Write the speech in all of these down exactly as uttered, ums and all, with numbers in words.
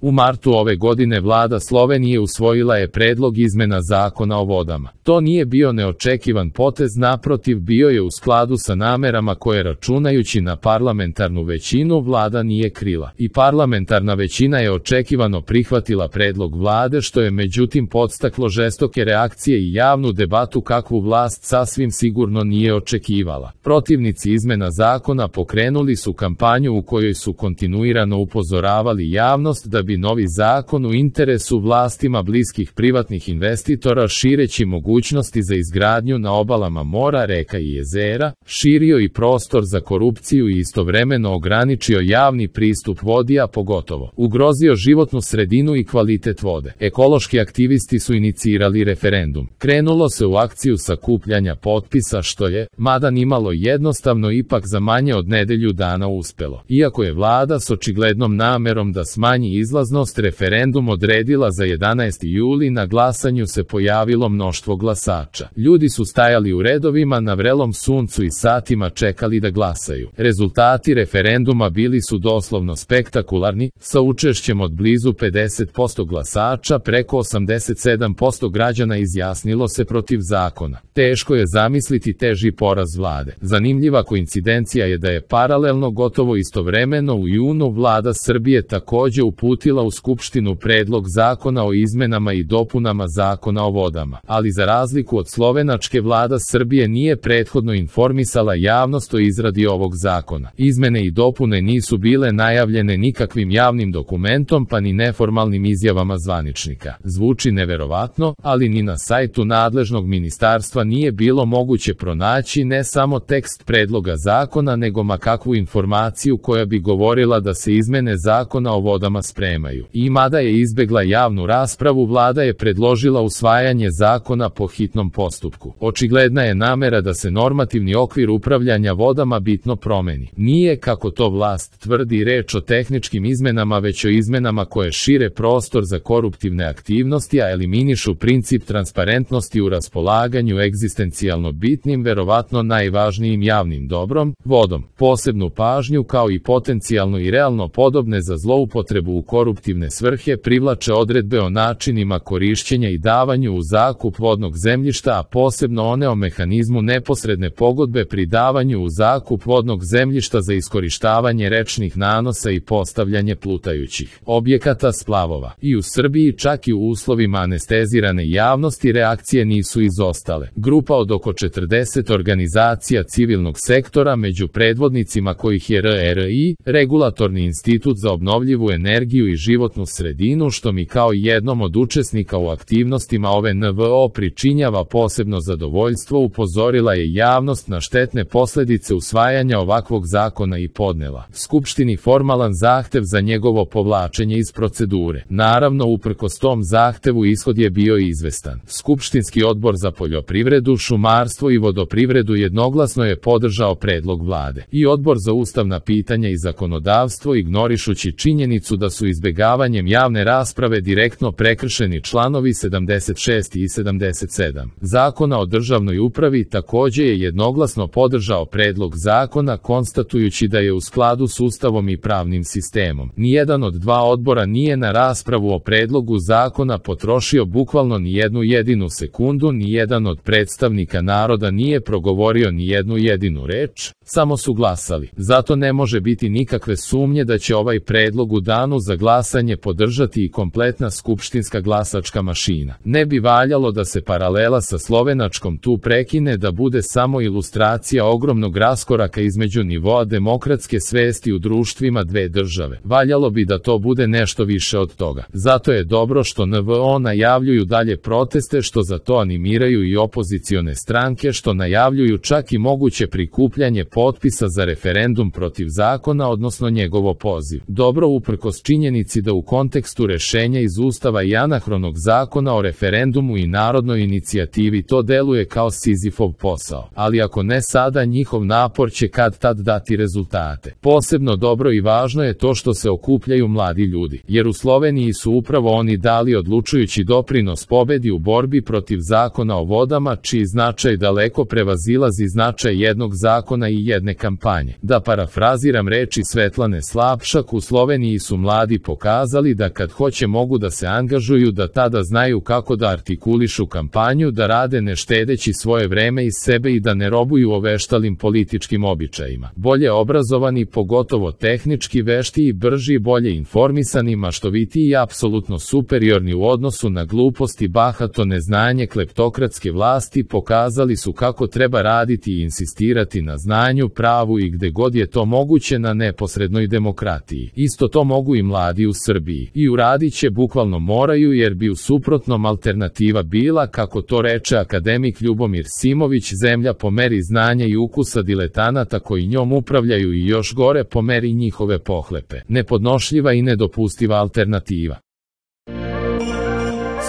U martu ove godine vlada Slovenije usvojila je predlog izmena zakona o vodama. To nije bio neočekivan potez, naprotiv, bio je u skladu sa namerama koje, računajući na parlamentarnu većinu, vlada nije krila. I parlamentarna većina je očekivano prihvatila predlog vlade, što je međutim podstaklo žestoke reakcije i javnu debatu kakvu vlast sasvim sigurno nije očekivala. Protivnici izmena zakona pokrenuli su kampanju u kojoj su kontinuirano upozoravali javnost da bi novi zakon u interesu vlastima bliskih privatnih investitora, šireći mogućnosti za izgradnju na obalama mora, reka i jezera, širio i prostor za korupciju i istovremeno ograničio javni pristup vodi, a pogotovo ugrozio životnu sredinu i kvalitet vode. Ekološki aktivisti su inicirali referendum. Krenulo se u akciju sakupljanja potpisa, što je, mada nimalo jednostavno, ipak za manje od nedelju dana uspelo. Iako je vlada s očiglednom namerom da smanji izlaznost referendum odredila za jedanaesti juli, na glasanju se pojavilo mnoštvo glasača. Ljudi su stajali u redovima na vrelom suncu i satima čekali da glasaju. Rezultati referenduma bili su doslovno spektakularni, sa učešćem od blizu pedeset posto glasača, preko osamdeset sedam posto građana izjasnilo se protiv zakona. Teško je zamisliti teži poraz vlade. Zanimljiva koincidencija je da je paralelno, gotovo istovremeno, u junu vlada Srbije takođe uputila u Skupštinu predlog zakona o izmenama i dopunama zakona o vodama. Ali za razliku od slovenačke, vlada Srbije nije prethodno informisala javnost o izradi ovog zakona. Izmene i dopune nisu bile najavljene nikakvim javnim dokumentom pa ni neformalnim izjavama zvaničnika. Zvuči neverovatno, ali ni na sajtu nadležnog ministarstva nije bilo moguće pronaći ne samo tekst predloga zakona, nego ma kakvu informaciju koja bi govorila da se izmene zakona o vodama spremaju. I mada je izbegla javnu raspravu, vlada je predložila usvajanje zakona po hitnom postupku. Očigledna je namera da se normativni okvir upravljanja vodama bitno promeni. Nije, kako to vlast tvrdi, reč o tehničkim izmenama, već o izmenama koje šire prostor za koruptivne aktivnosti, a eliminišu princip transparentnosti u raspolaganju egzistencijalno bitnim, verovatno najvažnijim javnim dobrom, vodom. Posebnu pažnju, kao i potencijalno i realno podobne za zloupotrebu u koruptivne svrhe, privlače odredbe o načinima korišćenja i davanju u zakup vodnog zemljišta, a posebno one o mehanizmu neposredne pogodbe pri davanju u zakup vodnog zemljišta za iskorištavanje rečnih nanosa i postavljanje plutajućih objekata splavova. I u Srbiji, čak i u uslovima anestezirane javnosti, reakcije nisu izostale. Grupa od oko četrdeset organizacija civilnog sektora, među predvodnicima kojih je R R I, Regulatorni institut za obnovljivu energiju i životnu sredinu, što mi kao jednom od učesnika u aktivnostima ove N V O pričinjava posebno zadovoljstvo, upozorila je javnost na štetne posledice usvajanja ovakvog zakona i podnela Skupštini formalan zahtev za njegovo povlačenje iz procedure. Naravno, uprkos tom zahtevu ishod je bio izvestan. Skupštinski odbor za poljoprivredu, šumarstvo i vodoprivredu jednoglasno je podržao predlog vlade. I odbor za ustavna pitanja i zakonodavstvo, ignorišući činjenicu da su izbegavanjem javne rasprave direktno prekršeni članovi sedamdeset šest i sedamdeset sedam Zakona o državnoj upravi, takođe je jednoglasno podržao predlog zakona, konstatujući da je u skladu s Ustavom i pravnim sistemom. Nijedan od dva odbora nije na raspravu o predlogu zakona potrošio bukvalno ni jednu jedinu sekundu, ni jedan od predstavnika naroda nije progovorio ni jednu jedinu reč, samo su glasali. Zato ne može biti nikakve sumnje da će ovaj predlog u danu za glasanje podržati i kompletna skupštinska glasačka mašina. Ne bi valjalo da se paralela sa slovenačkom tu prekine, da bude samo ilustracija ogromnog raskoraka između nivoa demokratske svesti u društvima dve države. Valjalo bi da to bude nešto više od toga. Zato je dobro što N V O najavljuju dalje proteste, što za to animiraju i opozicione stranke, što najavljuju čak i moguće prikupljanje potpisa za referendum protiv zakona, odnosno njegovo poziv. Dobro, uprkos činjenici da u kontekstu rešenja iz Ustava i anahronog zakona o referendumu i narodnoj inicijativi to deluje kao Sizifov posao. Ali ako ne sada, njihov napor će kad tad dati rezultate. Posebno dobro i važno je to što se okupljaju mladi ljudi, jer u Sloveniji su upravo oni dali odlučujući doprinos pobedi u borbi protiv zakona o vodama, čiji značaj daleko prevazilazi značaj jednog zakona i jedne kampanje. Da parafraziram reči Svetlane Slapšak, u Sloveniji su mladi pokazali da kad hoće mogu da se angažuju, da tada znaju kako da artikulišu kampanju, da rade ne štedeći svoje vreme iz sebe i da ne robuju oveštalim političkim običajima. Bolje obrazovani, pogotovo tehnički vešti i brži, bolje informisani, maštoviti i apsolutno superiorni u odnosu na glupost i bahato neznanje kleptokratske vlasti pokazali su kako treba raditi i insistirati na znanju, pravu i gde god je to moguće na neposrednoj demokratiji. Isto to mogu i mladi u Srbiji. I uradit će, bukvalno moraju, jer bi u suprotnom alternativa bila, kako to reče akademik Ljubomir Simović, zemlja po meri znanja i ukusa diletanata koji njom upravljaju i još gore po meri njihove pohlepe. Nepodnošljiva i nedopustiva alternativa.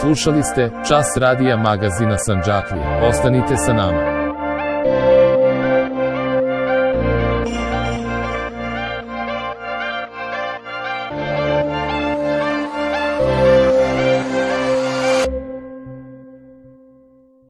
Slušali ste Čas radija magazina Sandžaklija. Ostanite sa nama.